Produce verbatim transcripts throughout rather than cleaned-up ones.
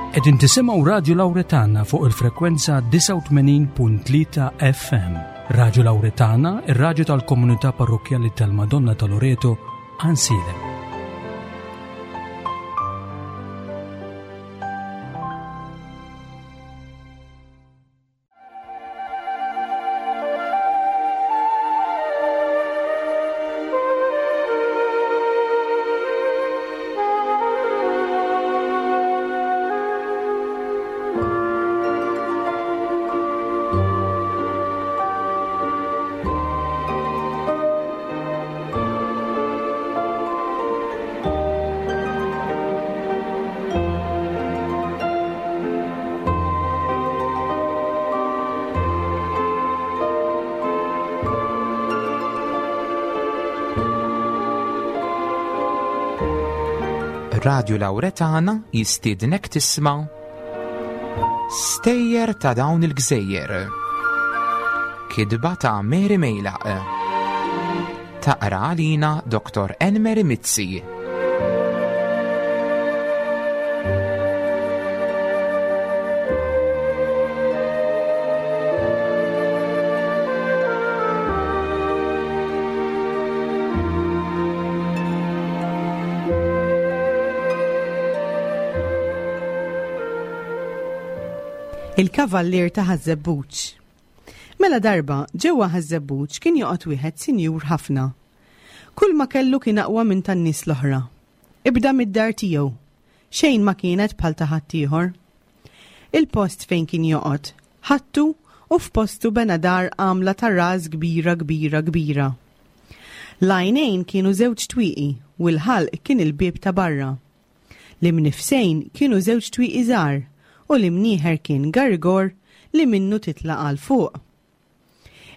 Qegħdin tisimgħu Radio Lauretana fuq il-frekwenza disgħa u tmenin punt tlieta F M. Radio Lauretana, ir-radju tal-komunità parrokjali tal-Madonna ta' Loreto, Għajnsielem. Radio Lauretana jistiednek tisma' Stejjer ta' dawn il-gżejjer. Kitba ta' Mary Mejlaq. Taqra għalina Doktor Enmeri Mizzi. Il-kavallier ta' Ħaż-Żebbuġ. Mela darba, ġewwa Ħaż-Żebbuġ kien joqgħod wieħed sinjur ħafna. Kull ma kellu kien aqwa minn tan-nies l-oħra. Ibda mid-dar tiegħu. Xejn ma kienet bħal ta' ħaddieħor. Il-post fejn kien joqgħod, ħattu u f'postu bena dar għamla ta' ras kbira kbira kbira. L-għajnejn kienu żewġ twieqi u l-ħalq kien il-bieb ta' barra. L-imnifsejn kienu żewġ twieqi żgħar u l-imnieħer kien garigor li minnu titla' għal fuq.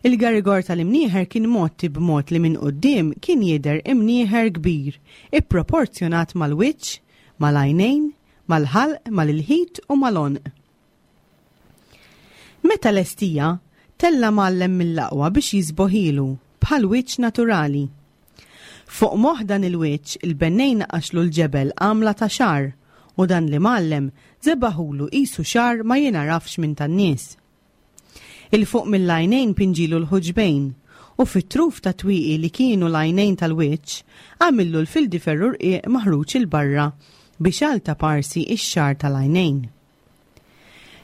Il-garigor tal-imnieħer kien mgħotti b'mod li minn quddiem kien jidher imnieħer kbir, ipproporzjonat mal-wiċċ, mal-għajnejn, mal-ħalq, mal-ilħit u mal-għonq. Meta lestija, tella' mgħallem mill-aqwa biex jiżboħilu bħal wiċċ naturali. Fuq moħ dan il-wiċċ il-bennej naqaxlu l-ġebel għamla ta' xagħar u dan l-imgħallem żebagħhulu qisu xagħar ma jinarafx minn tan-nies. Il-fuq mill-għajnejn pinġilu l-ħuġbejn u fit-truf ta' twieqi li kienu l-għajnejn tal-wiċċ għamillu l-fildiferru rqiq maħruġ 'il barra biex għal ta' parsi ix-xagħar tal-għajnejn.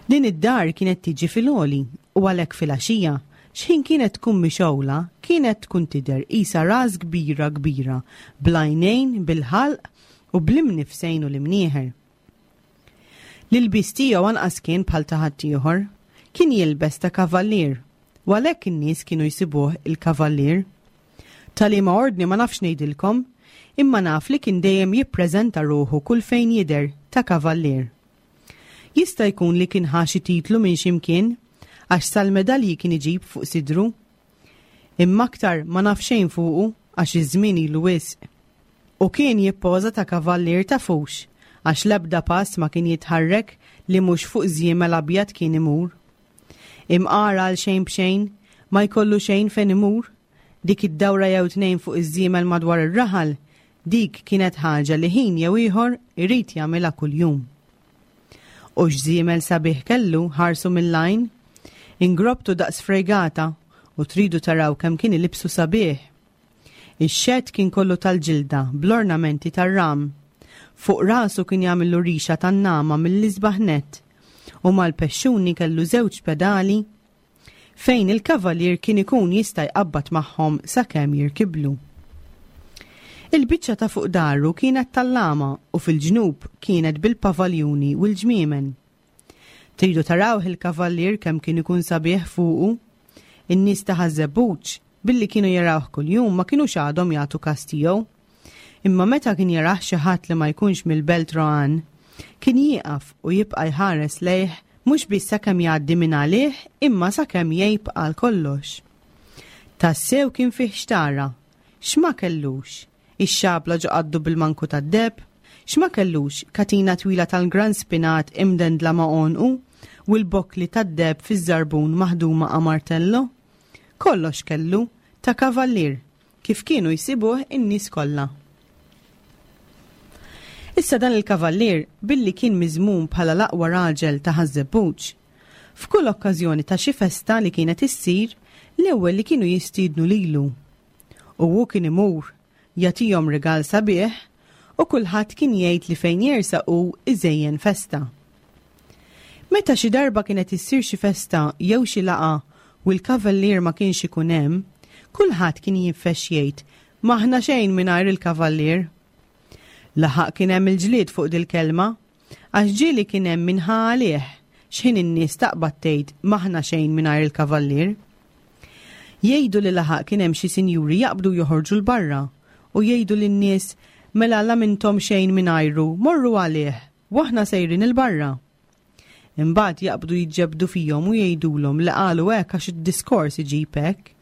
Din id-dar kienet tiġi fil-għoli u għalhekk fil-għaxija xħin kienet tkun mixgħula kienet tkun tidher qisha ras kbira kbira bl-għajnejn, bil-ħalq u bl-imnifsejn u l-imnieħer. L-ilbies tiegħu anqas kien bħal ta' ħaddieħor, kien jilbes ta' kavallier, u għalhekk in-nies kienu jsibuh il-kavallier. Ta' liema ordni ma nafx ngħidilkom, imma naf li kien dejjem jippreżenta ruħu kull fejn jidher ta' kavallier. Jista' jkun li kien ħa xi titlu minn ximkien, għax sal-medalji kien iġib fuq sidru. Imma aktar ma naf xejn fuqu għax iż-żmien ilu wisq. U kien jippoża ta' kavallier ta' fux, għax l-ebda pass ma kien jitħarrek li mhux fuq żiemel abjad kien imur. Imqar għal xejn b'xejn, ma jkollu xejn fejn imur, dik id-dawra jew tnejn fuq iż-żiemel madwar ir-raħal, dik kienet ħaġa li ħin jew ieħor irid jagħmilha kuljum. U x'żiemel sabiħ kellu ħarsu mill-għajn, ingrobtu daqs fregata u tridu taraw kemm kien ilibsu sabiħ. Ix-xedd kien kollu tal-ġilda bl-ornamenti tar-ram. Fuq rasu kien jagħmillu rixa tan-nagħma mill-isbaħ net u mal-pexxuni kellu żewġ pedali fejn il-kavalier kien ikun jista' jqabbad magħhom sakemm jirkiblu. Il-biċċa ta' fuq daru kienet tal-lama u fil-ġnub kienet bil-pavaljuni u l-ġmiemen. Tridu tarawh il-kavallier kemm kien ikun sabiħ fuqu? In-nies ta' Ħaż-Żebbuġ billi kienu jarawh kuljum ma kinux għadhom jagħtu kas tiegħu. Imma meta kien jarah xi ħadd li ma jkunx mill-Belt Rohan, kien jieqaf u jibqa' jħares lejh mhux biss sakemm jgħaddi minn għalih imma sakemm jgħib għal kollox. Tassew kien fih xtara, x'ma kellux, ix-xabla ġo qaddu bil-manku tad-deheb, x'ma kellux katina twila tal-gran spinat imdendla ma' għonqu u l-bokli tad-deheb fiż-żarbun maħduma a martello. Kollox kellu ta' kavallier kif kienu jsibuh in-nies kollha. Issa dan il-kavallier billi kien miżmum bħala l-aqwa raġel ta' Ħaż-Żebbuġ, f'kull okkażjoni ta' xi festa li kienet issir, l-ewwel li kienu jistiednu lilu. U hu kien imur, jagħtihom rigal sabiħ u kulħadd kien jgħid li fejn jersaq hu iżejjen festa. Meta xi darba kienet issir xi festa jew xi laqgħa u l-kavallier ma kienx ikun hemm, kulħadd kien jinfex jgħid m'aħna xejn mingħajr il-kavallier. Laħaq kien hemm il-ġlied fuq dil-kelma, għax ġieli kien hemm min ħa għalih x'ħin in-nies taqbad tgħid m'aħna xejn mingħajr il-kavallier. Jgħidu li laħaq kien hemm xi sinjuri jaqbdu joħorġu 'l barra u jgħidu lin-nies mela la m'intom xejn mingħajru, morru għalih, u aħna sejrin 'il barra. Imbagħad jaqbdu jiġġebdu fihom u jgħidulhom li qalu hekk għax id-diskors iġib hekk.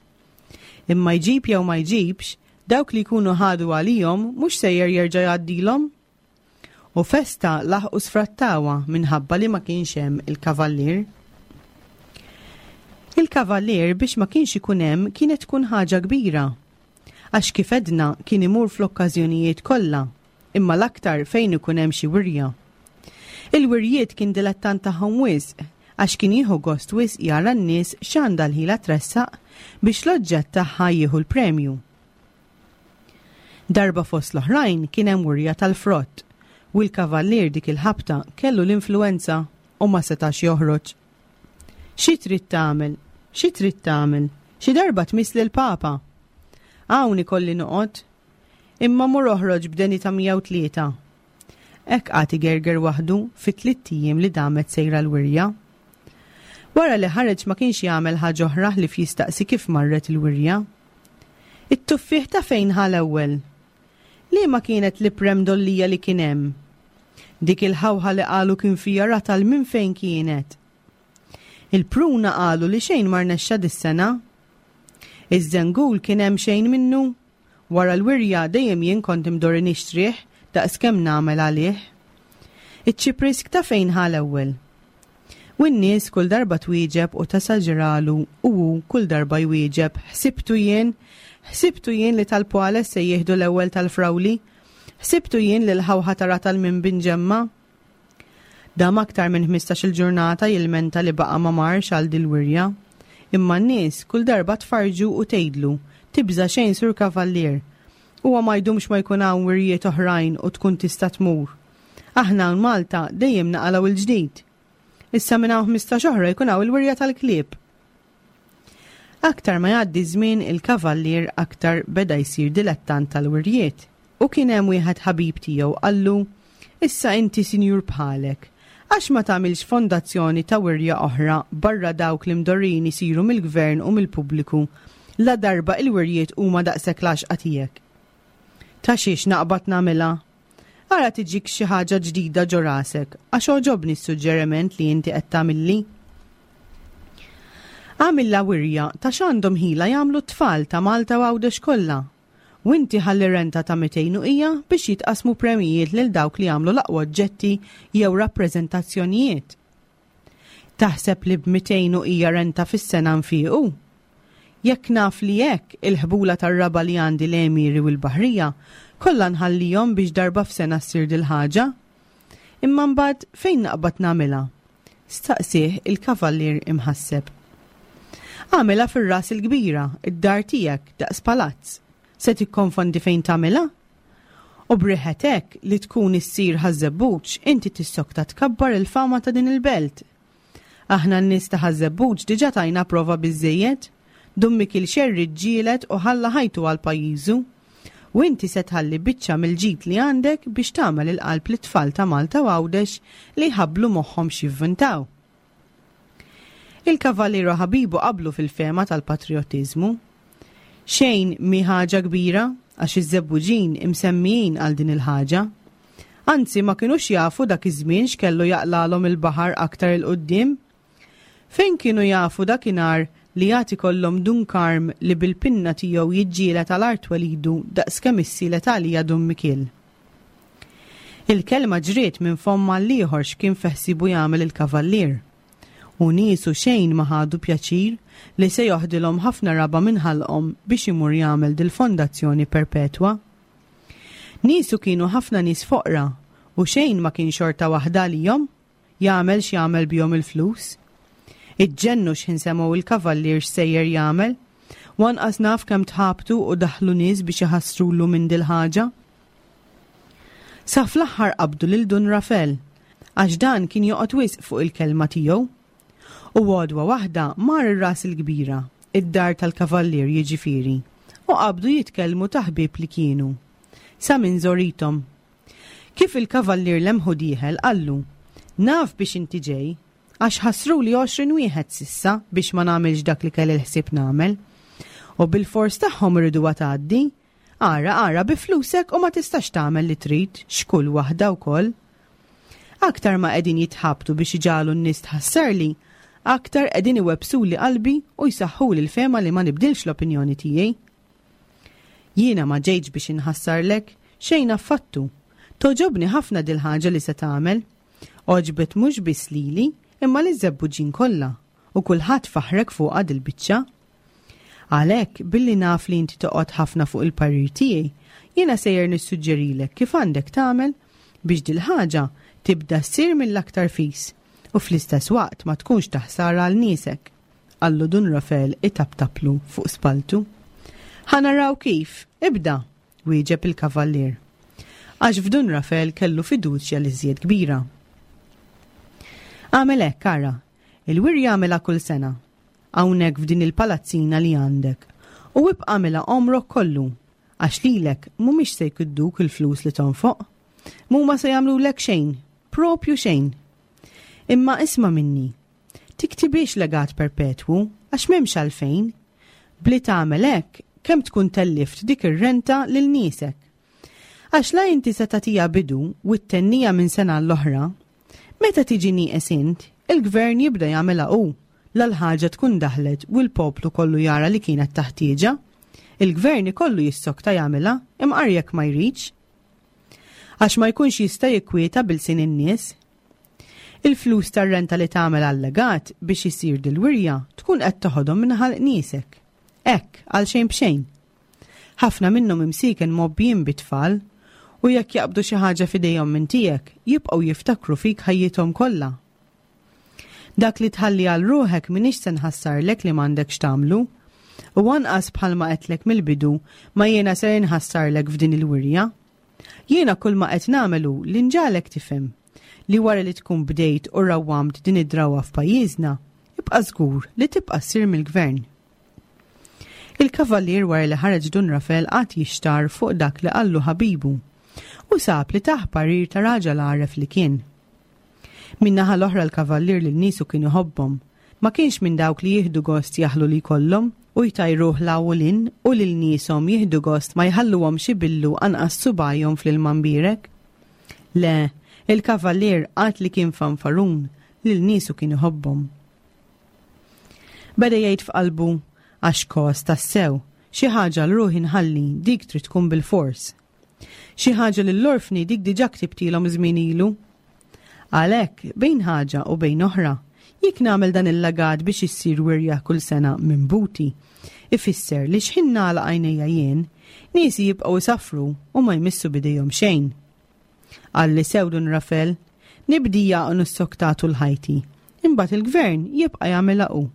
Imma jġib jew ma jġibx, dawk li jkunu ħadu għalihom mhux sejjer jerġa' jgħaddilhom. U festa laħqu sfrattawha minħabba li ma kienx hemm il-kavallier. Il-kavallier biex ma kienx ikun hemm kienet tkun ħaġa kbira. Għax kif għedna kien imur fl-okkażjonijiet kollha, imma l-aktar fejn ikun hemm xi wirja. Il-wirjiet kien dilettant tagħhom wisq, għax kien jieħu gost wisq jara n-nies x'għandha l-ħila tressaq biex l-oġġett tagħha jieħu l-premju. Darba fost l-oħrajn kien hemm wirja tal-frott u l-kavallier dik il-ħabta kellu l-influenza u ma setax joħroġ. Xi trid tagħmel? Xi trid tagħmel? Xi darba tmiss lill-Papa. Hawn ikolli noqgħod. Imma mur oħroġ b'deni ta' mija u tlieta. Hekk qagħad igerger waħdu fit-tliet ijiem li damet sejra l-wirja. Wara li ħareġ ma kienx jagħmel ħaġa oħra ħlief jistaqsi kif marret il-wirja. It-tuffieħ ta' fejn ħa l-ewwel? Liema kienet l-iprem dollija li kien hemm? Dik il-ħawħa li qalu kien fija ratal minn fejn kienet? Il-pruna qalu li xejn ma rnexxa dis-sena. Iż-żengul kien hemm xejn minnu? Wara l-wirja dejjem jien kont imdorri nixtrih daqs kemm nagħmel għalih. Iċ-ċiprisk ta' fejn ħa l-ewwel? U n-nies kull darba twieġeb u tasaġralu u hu kull darba jwieġeb, ħsibtu jien, ħsibtu jien li tal-Pwales se jieħdu l-ewwel tal-frawli, ħsibtu jien li l-ħawħa ta' ratal minn binġemma. Dam aktar minn ħmistax-il ġurnata jilmenta li baqa' ma marx għal dil-wirja. Imma n-nies kull darba tfarġu u tgħidlu, tibża' xejn Sur Kavallier. Huwa ma jdumx ma jkun hawn wirjiet oħrajn u tkun tista' tmur. Aħna hawn Malta dejjem naqalgħu il-ġdid. Issa minn hawn ħmistax oħra jkun hawn il-wirja tal-klieb. Aktar ma jgħaddi żmien il-kavallier aktar beda jsir dilettant tal-wirjiet. U kien hemm wieħed ħabib tiegħu qallu, issa inti sinjur bħalek, għax ma tagħmilx fondazzjoni ta' wirja oħra barra dawk li mdorrin isiru mill-gvern u mill-pubbliku la darba il-wirjiet huma daqshekk l-għaxqa tiegħek. Ta' xiex naqbad nagħmilha? Ara tiġik xi ħaġa ġdida ġo rasek, għax għoġobni s-suġġeriment li inti qed tagħmilli. Għamilha wirja ta' x'għandhom ħila jagħmlu t-tfal ta' Malta u Għawdex kollha. U inti ħalli renta ta' mitejn u hija biex jitqasmu premijiet lil dawk li jagħmlu l-aqwa oġġetti jew rappreżentazzjonijiet. Taħseb li b'mitejn u hija renta fis-sena nfiequ? Jekk naf li hekk il-ħbula tar-raba li għandi l-Emiri u l-Baħrija kollha nħallihom biex darba f'sena ssir dil-ħaġa. Imma mbagħad fejn naqbad nagħmilha? Staqsih il-kavallier imħasseb. Għamilha fir-ras il-kbira, id-dar tiegħek daqs palazz. Se tikkonfondi fejn tagħmilha? U briħetek li tkun issir Ħaż-Żebbuġ, inti tissokta tkabbar il-fama ta' din il-belt. Aħna n-nies ta' Ħaż-Żebbuġ diġà tajna prova biżżejjed. Dun Mikiel Xerri ġġieled u ħalla ħajtu għal pajjiżu. U inti se tħalli biċċa mill-ġid li għandek biex tagħmel il-qalb lit-tfal ta' Malta u Għawdex li jħabblu moħħhom x'jivvintaw. Il-kavalieru ħabibu qablu fil-fema tal-patriottiżmu. Xejn mi ħaġa kbira għax iż-Żebbuġin imsemmijin għal din il-ħaġa. Anzi ma kinux jafu dak iż-żmien x'kellu jaqlalhom il-baħar aktar il-qudiem. Fejn kienu jafu dakinhar li jagħti kollhom Dun Karm li bil-pinna tiegħu jiġġieled għal art twelidu daqskemm issielet għalija Dun Mikiel. Il-kelma ġriet minn fomm għall-ieħor x'kien feħsibu jagħmel il-kavallier. U niesu xejn ma ħadu pjaċir li se joħdilhom ħafna raba minn ħalqhom biex imur jagħmel dil-fondazzjoni perpetwa. Niesu kienu ħafna nies foqra U xejn ma kien xorta waħda għalihom, jagħmel x'jagħmel bihom il-flus. Iġġennu x'ħin semgħu il-kavallier x'sejjer jagħmel, u anqas naf kemm tħabtu u daħlu nies biex iħassrulu minn dil-ħaġa. Sa fl-aħħar qabdu lil Dun Rafel, għax dan kien joqgħod wisq fuq il-kelma tiegħu. U għodwa waħda mar ir-Ras il-Kbira, id-dar tal-kavallier jiġifieri, u qabdu jitkellmu ta' ħbieb li kienu. Sa minn żorithom. Kif il-kavallier lemħu dieħel qallu, "Naf biex inti ġej, għax ħassruli għoxrin wieħed s'issa biex ma nagħmilx dak li kelli l-ħsieb nagħmel. U bil-fors tagħhom iriduha tgħaddi. Ara, ara, bi flusek u ma tistax tagħmel li trid, x'kull waħda wkoll. Aktar ma qegħdin jitħabtu biex iġagħlu n-nies tħassarli, aktar qegħdin iwebbsuli qalbi u jsaħħuli l-fehma li ma nibdilx l-opinjoni tiegħi. Jiena ma ġejtx biex inħassarlek, xejn affattu. Togħġobni ħafna dil-ħaġa li se tagħmel. Għoġbet mhux biss lili, imma liż-Żebbuġin kollha, u kulħadd faħrek fuqha dil-biċċa. Għalhekk, billi naf li inti toqgħod ħafna fuq il-parir tiegħi, jiena sejjer nissuġġerilek kif għandek tagħmel biex dil-ħaġa tibda ssir mill-aktar fis u fl-istess waqt ma tkunx ta' ħsara għal niesek, qallu Dun Rafel itaptaplu fuq spaltu. Ħa naraw kif, ibda, wieġeb il-kavallier. Għax f'Dun Rafel kellu fiduċja li żjed kbira. Għamel hekk, ara, il-wirja għamilha kull sena, hawnhekk f'din il-palazzina li għandek, u ibqa' għamilha għomrok kollu, għax lilek mhumiex se jkidduk il-flus li tonfoq, mhuma se jagħmlulek xejn, propju xejn. Imma isma' minni, tiktibix legat perpetwu, għax m'hemmx għalfejn. Bli tagħmel hekk, kemm tkun tellift dik ir-renta lil niesek. Għax la inti se tagħtiha bidu u ttennija minn sena l-oħra, meta tiġi nieqes int, il-gvern jibda jagħmilha hu, la l-ħaġa tkun daħlet u l-poplu kollu jara li kienet taħtieġa. Il-gvern ikollu jissokta jagħmilha imqar jekk ma jridx. Għax ma jkunx jista' jikwieta bil-sin in-nies. Il-flus tar-renta li tagħmel għal-legat biex isir dil-wirja tkun qed toħodhom minn ħalq niesek. Hekk, għal xejn b'xejn. Ħafna minnhom imsieken mgħobbijin bit-tfal u jekk jaqbdu xi ħaġa f'idejhom minn tiegħek, jibqgħu jiftakru fik ħajjithom kollha. Dak li tħalli għal ruħek m'iniex se nħassarlek li m'għandekx tagħmlu, u anqas bħalma qedtlek mill-bidu ma jiena ser inħassarlek f'din il-wirja. Jiena kull ma qed nagħmelu li nġagħlek tifhem li wara li tkun bdejt u rawwamt din id-drawwa f'pajjiżna, ibqa' żgur li tibqa' ssir mill-gvern. Il-kavallier wara li ħareġ Dun Rafel qagħad jixtar fuq dak li qallu ħabibu u sab li tah parir ta' raġel għaref li kien. Min-naħa l-oħra l-kavallier lil niesu kien iħobbhom, ma kienx minn dawk li jieħdu gost jaħlu li jkollhom u jtajruh 'l hawn u 'l hinn u lil nieshom jieħdu gost ma jħalluhomx ibillu anqas subgħajhom fl-ilma mbierek. Le, il-kavallier qatt li kien fanfarun lil niesu kien iħobbhom. Beda jgħid f'qalbu, għax kos tassew, xi ħaġa l-ruħi nħalli dik trid tkun bil-fors. Xi ħaġa lill-orfni dik diġà ktibtilhom żmien ilu. Għalhekk, bejn ħaġa u bejn oħra, jekk nagħmel dan il-legat biex issir wirja kull sena minn buti, ifisser li xħin nagħlaq għajnejja jien, niesi jibqgħu jsaffru u ma jmissu bidejhom xejn. Qalli sew Dun Rafel, nibdija u nissokta tul ħajti, imbagħad il-gvern jibqa' jagħmilha hu.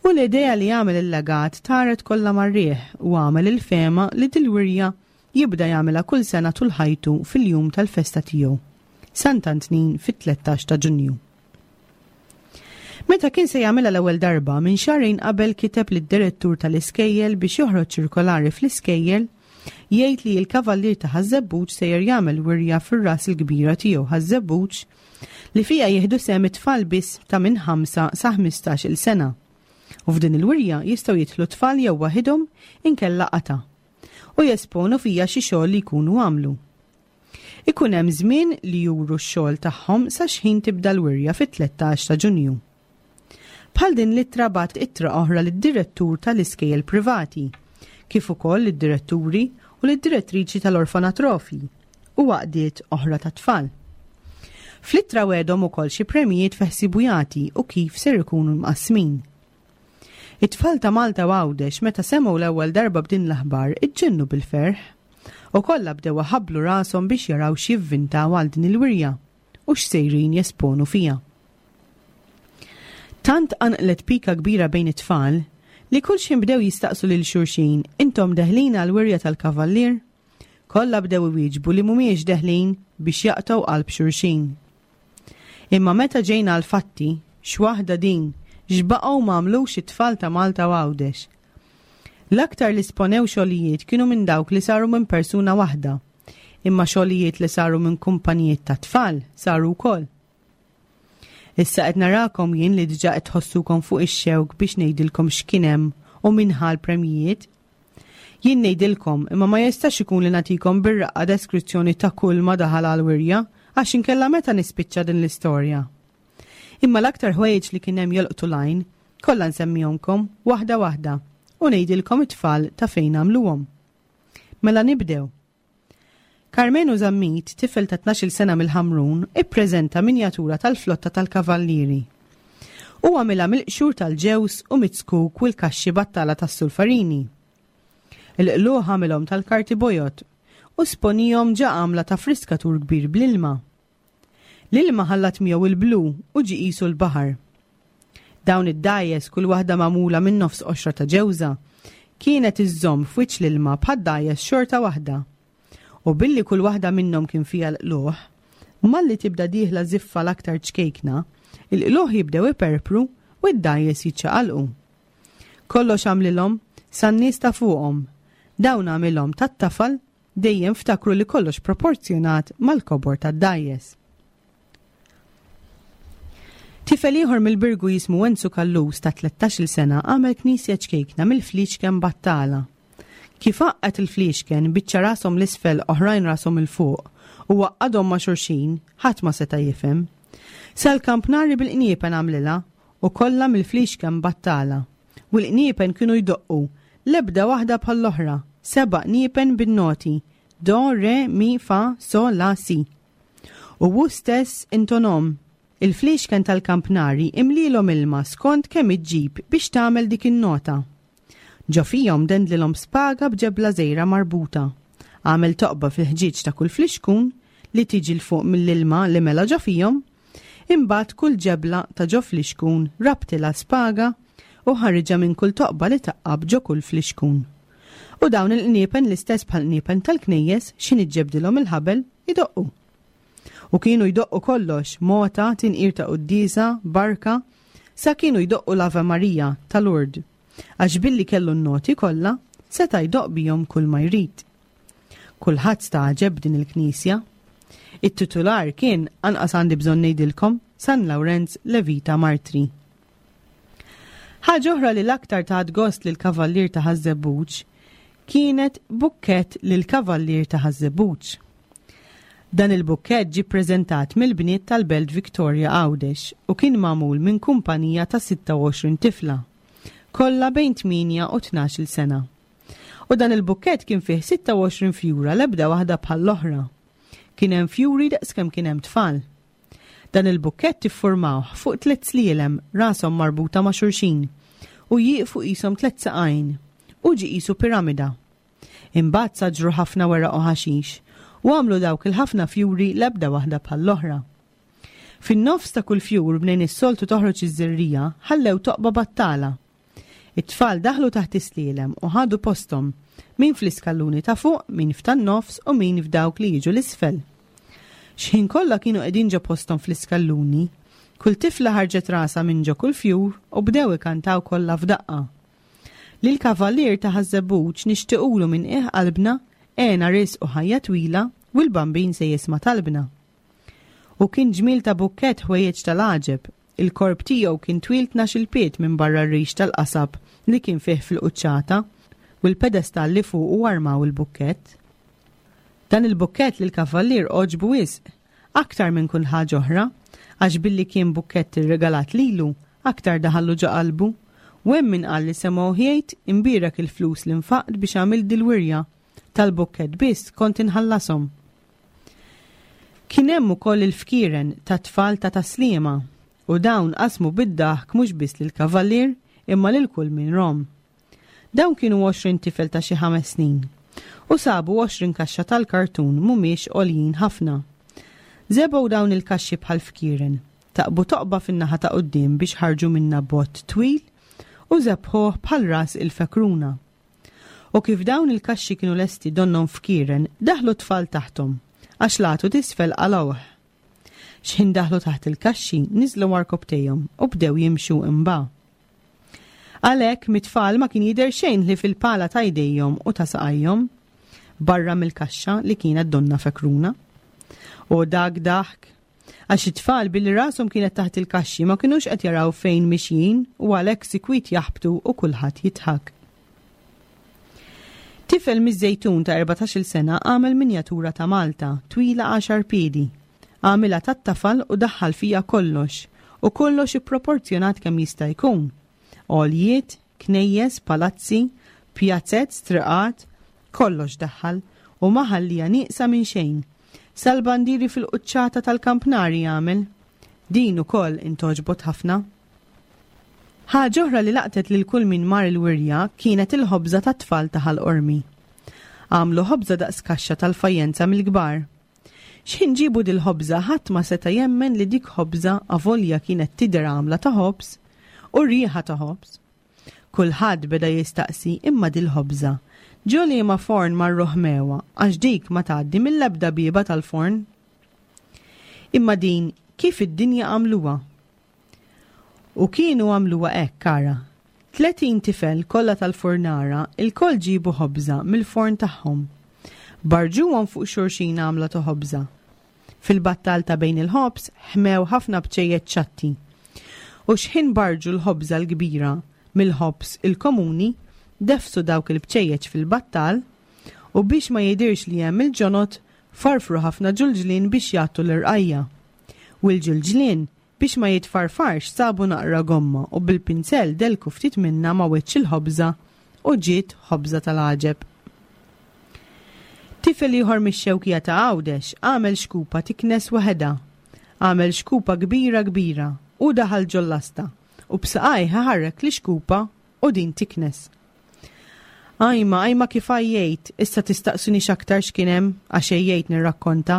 U l-idea li jagħmel il-legat taret kollha mar-riħ u għamel il-fehma li dil-wirja jibda jagħmilha kull sena tul ħajtu fil-jum tal-festa tiegħu, Sant'Antnin fit-tlettax ta' Ġunju. Meta kien se jagħmilha l-ewwel darba minn xahrejn qabel kiteb lid-direttur tal-iskejjel biex joħroġ ċirkolari fl-iskejjel jgħid li l-kavallier ta' Ħaż-Żebbuġ sejjer jagħmel wirja fir-ras il-kbira tiegħu Ħaż-Żebbuġ li fiha jieħdu sehem it-tfal biss ta' minn ħamsa sa ħmistax-il sena. U f'din il-wirja jistgħu jidħlu tfal jew waħidhom inkella qata' u jesponu fija xi xogħol li jkunu għamlu. Ikun hemm żmien li juru x-xogħol tagħhom sa xħin tibda l-wirja fit-tlettax ta' Ġunju. Bħal din l-ittra bagħat ittra oħra lid-direttur tal-iskejjel privati, kif ukoll lid-diretturi u lid-direttriċi tal-orfanatrofi u għaqdiet oħra ta' tfal. Fl-ittra wegħedhom ukoll xi premijiet feħsibu jagħti u kif ser ikunu mqassmin. It-tfal ta' Malta u Għawdex meta semgħu l-ewwel darba b'din l-aħbar iġġennu bil-ferħ. U kollha bdew ħablu rashom biex jaraw x'jivvintaw għal din il-wirja u x'sejrin jesponu fiha. Tant qanqlet pika kbira bejn it-tfal li kull xejn bdew jistaqsu lil xulxin intom deħlin għal wirja tal-kavallier? Kollha bdew iwieġbu li mhumiex deħlin biex jaqtgħu qalb xulxin. Imma meta ġejna għal fatti, x'waħda din, x'baqgħu m'għamlux it-tfal ta' Malta u Għawdex. L-aktar li sponew xogħlijiet kienu minn dawk li saru minn persuna waħda, imma xogħlijiet li saru minn kumpanijiet ta' tfal saru wkoll. Issa qed narakom jien li diġà qed tħossukom fuq ix-xewk biex ngħidilkom x'kien hemm u min ħa l-premjijiet. Jien ngħidilkom imma ma jistax ikun li nagħtikom bir-raqqa deskrizzjoni ta' kull ma daħal għal wirja għax inkella meta nispiċċa din l-istorja. Imma l-aktar ħwejjeġ li kien hemm jolqtu l-għajn kollha nsemmihomkom waħda waħda u ngħidilkom it-tfal ta' fejn għamluhom. Mela nibdew. Carmenu Zammit, tifel ta' tnax-il sena mill-Ħamrun, ippreżenta minjatura tal-flotta tal-Kavallieri. U għamilha mill-qxur tal-ġewż u mit-zkuk u l-kaxxi battala tas-sulfarini. Il-qluħ għamilhom tal-karti bojod u sponihom ġa għamla ta' friskatur kbir bl-ilma. L-ilma ħallat miegħu il-blu u ġi qisu l-baħar. Dawn id-dgħajjes kull waħda magħmula minn nofs qoxra ta' ġewża kienet iżżomm f'wiċċ l-ilma bħad-dgħajjes xorta waħda. U billi kull waħda minnhom kien fiha l-qluħ, malli tibda dieħla żiffa l-aktar ċkejkna, il-qluħ jibdew iperpru u d-dgħajjes jiċċaqalqu. Kollox għamlilhom san-nies ta' fuqhom. Dawn għamilhom tat-tafal dejjem ftakru li kollox proporzjonat mal-kobor tad-dgħajjes. Tifel ieħor mill-Birgu jismu Enzu Kallus ta' tlettax-il sena għamel knisja ċkejkna mill-fliexken battala. Kif għaqqad il-fliexken biċċa rashom l-isfel oħrajn rashom il-fuq u waqqadhom ma' xulxin, ħadd ma seta' jifhem. Sal-kampnari bil-qniepen għamlilha u kollha mill-fliexken battala. U l-qniepen kienu jdoqqu, l-ebda waħda bħall-oħra, seba' qniepen bin-noti, do, re, mi, fa, so, la, si. U hu stess intonom. Il-fliexken tal-kampnari imlilhom ilma skont kemm iġġib biex tagħmel dik in-nota. Ġo fihom dendlilhom spaga b'ġebla żgħira marbuta. Għamel toqba fil-ħġieġ ta' kull flixkun li tiġi l fuq mill-ilma li mela ġo fihom. Imbagħad kull ġebla ta' ġo flixkun rabtilha spaga u ħariġha minn kull toqba li taqqab ġo kull flixkun. U dawn il-qniepen l-istess bħal qniepen tal-knejjes x'in iġġebdilhom il-ħabel idoqqu. U kienu jdoqqu kollox, mota, tinqir ta' quddiesa, barka, sa kienu jdoqqu l-Ave Maria ta' Lourdes. Għax billi kellu n-noti kollha, seta' jdoqq bihom kull ma jrid. Kulħadd stagħġeb din il-knisja. It-titular kien, anqas għandi bżonn ngħidilkom, San Lawrenz Levita Martri. Ħaġa oħra li l-aktar tat gost lil kavallier ta' Ħaż-Żebbuġ kienet bukkett lil kavallier ta' Ħaż-Żebbuġ. Dan il-bukkett ġie ppreżentat mill-bniet tal-Belt Victoria Għawdex u kien magħmul minn kumpanija ta' sitta u għoxrin tifla, kollha bejn tmienja u tnax-il sena. U dan il-bukkett kien fih sitta u għoxrin fjura l-ebda waħda bħall-oħra. Kien hemm fjuri daqskemm kien hemm tfal. Dan il-bukkett iffurmawh fuq tliet slielem rashom marbuta ma' xulxin u jieqfu qishom tliet saqajn u ġi qisu piramida. Imbagħad saġru ħafna weraq u ħaxix u għamlu dawk il-ħafna fjuri l-ebda waħda bħall-oħra. Fin-nofs ta' kull fjur bnejn is-soltu toħroġ iż-żerrija ħallew toqba battala. It-tfal daħlu taħt is-slielem u ħadu posthom, min fl-iskalluni ta' fuq, min f'tan-nofs u min f'dawk li jiġu l-isfel. X'ħin kollha kienu qegħdin ġo posthom fl-iskalluni, kull tifla ħarġet rasha minn ġo kull fjur u bdew ikantaw kollha f'daqqa. Lil kavallier ta' Ħaż-Żebbuġ nixtiequlu minn qiegħ qalbna għena risq u ħajja twila u l-bambin se jisma' talbna. U kien ġmiel ta' bukkett ħwejjeġ tal-għaġeb. Il-korp tiegħu kien twil tnax-il pied minn barra r-rix tal-qasab li kien fih fil-quċċata u l-pedestall li fuqu armaw il-bukkett. Dan il-bukkett lil kavallier għoġbu wisq, aktar minn kull ħaġa oħra, għax billi kien bukkett irregalat lilu, aktar daħallu ġo qalbu, u hemm min qal li semgħu jgħid imbierek il-flus li nfaqt biex għamil dil-wirja, tal-bukkett biss kont inħallasom. Kien hemm ukoll il-fkieren ta' tfal ta' Taslima, u dawn qasmu bid-daħk mhux biss lill-kavallier imma lil kull min rom. Dawn kienu għoxrin tifel ta' xi ħames snin, U sabu għoxrin kaxxa tal-kartun mhumiex għoljin ħafna. Żebgħu dawn il-kaxxi bħal fkieren, taqbu toqba fin-naħa ta' quddiem biex ħarġu minna bott twil u żebħuh bħal ras il-fekruna. U kif dawn il-kaxxi kienu lesti donnhom fkieren, daħlu tfal taħthom, għax latu tisfel qalgħuh. X'ħin daħlu taħt il-kaxxi, niżlu għarkopptejhom u bdew jimxu imba. Għalhekk mit-tfal ma kien jidher xejn li fil-pala ta' jdejhom u ta' saqajhom, barra mill-kaxxa li kienet donna fekruna. U dak daħk, għax it-tfal billi rashom kienet taħt il-kaxxi ma kinux qed jaraw fejn mixjin u għalhekk sikwit jaħbtu u kulħadd jidħak. Tifel miż-Żejtun ta' erbatax-il sena għamel minjatura ta' Malta, twila għaxar piedi. Għamilha tat-tafal u daħħal fija kollox, u kollox ipproporzjonat kemm jista' jkun. Għoljiet, knejjes, palazzi, pjazzett, triqat, kollox daħħal u ma ħallija nieqsa minn xejn. Sal-bandiri fil-quċċata tal-kampnari għamel. Din ukoll intoġbot ħafna. Ħaġa oħra li laqtet lil kull min mar il-wirja kienet il-ħobża tat-tfal ta' Ħal Qormi. Għamlu ħobża daqs kaxxa tal-fajjenza mill-kbar. X'ħin ġibu dil-ħobża ħadd ma seta' jemmen li dik ħobża avolja kienet tidher għamla ta' ħobż u riħa ta' ħobż. Kulħadd beda jistaqsi imma dil-ħobża ġo liema forn marru ħmewa għax dik ma tgħaddi mill-ebda bieba tal-forn. Imma din kif id-dinja għamluha? U kienu għamluha hekk, ara. Tletin tifel kollha tal-fornara il-koll ġibu ħobża mill-forn tagħhom. Barġuhom fuq xulxin għamla ta' ħobża. Fil-battal ta' bejn il-ħobż ħmew ħafna bċejjeċ ċatti. U x'ħin barġu l-ħobża l-kbira mill-ħobż il-komuni, defsu dawk il-bċejjeċ fil-battal u biex ma jidirx li hemm il-ġonot farfru ħafna ġulġlien biex jagħtu l-irqajja. U l-ġulġlien biex ma jitfarfarx sabu naqra gomma u bil-pinzell delku ftit minna ma wiċċ il-ħobża u ġiet ħobża tal-għaġeb. Tifel ieħor mix-Xewkija ta' Għawdex għamel xkupa tiknes waħedha. Għamel xkupa kbira kbira u daħal ġol-lasta u b'saqajh ħarrek li xkupa u din tiknes. Ajma, ajma kif għajjejt, issa tistaqsuni x'aktar x'kien hemm għax għejjejt nirrakkonta.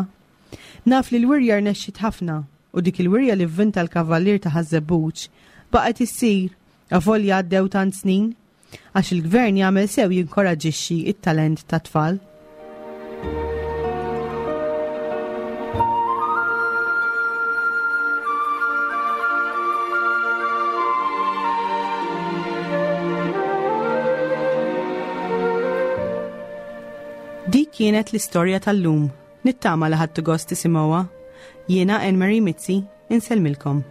Naf li l-wirja rnexxiet ħafna u dik il-wirja li vvinta l-kavallier ta' Ħaż-Żebbuġ baqgħet issir avolja għaddew tant snin għax il-gvern jagħmel sew jinkoraġixxi it-talent tat-tfal. Dik kienet l-istorja tal-lum. Nittama li ħadtu gost tisimgħuha. Jiena Anne Marie Mizzi, insellmilkom.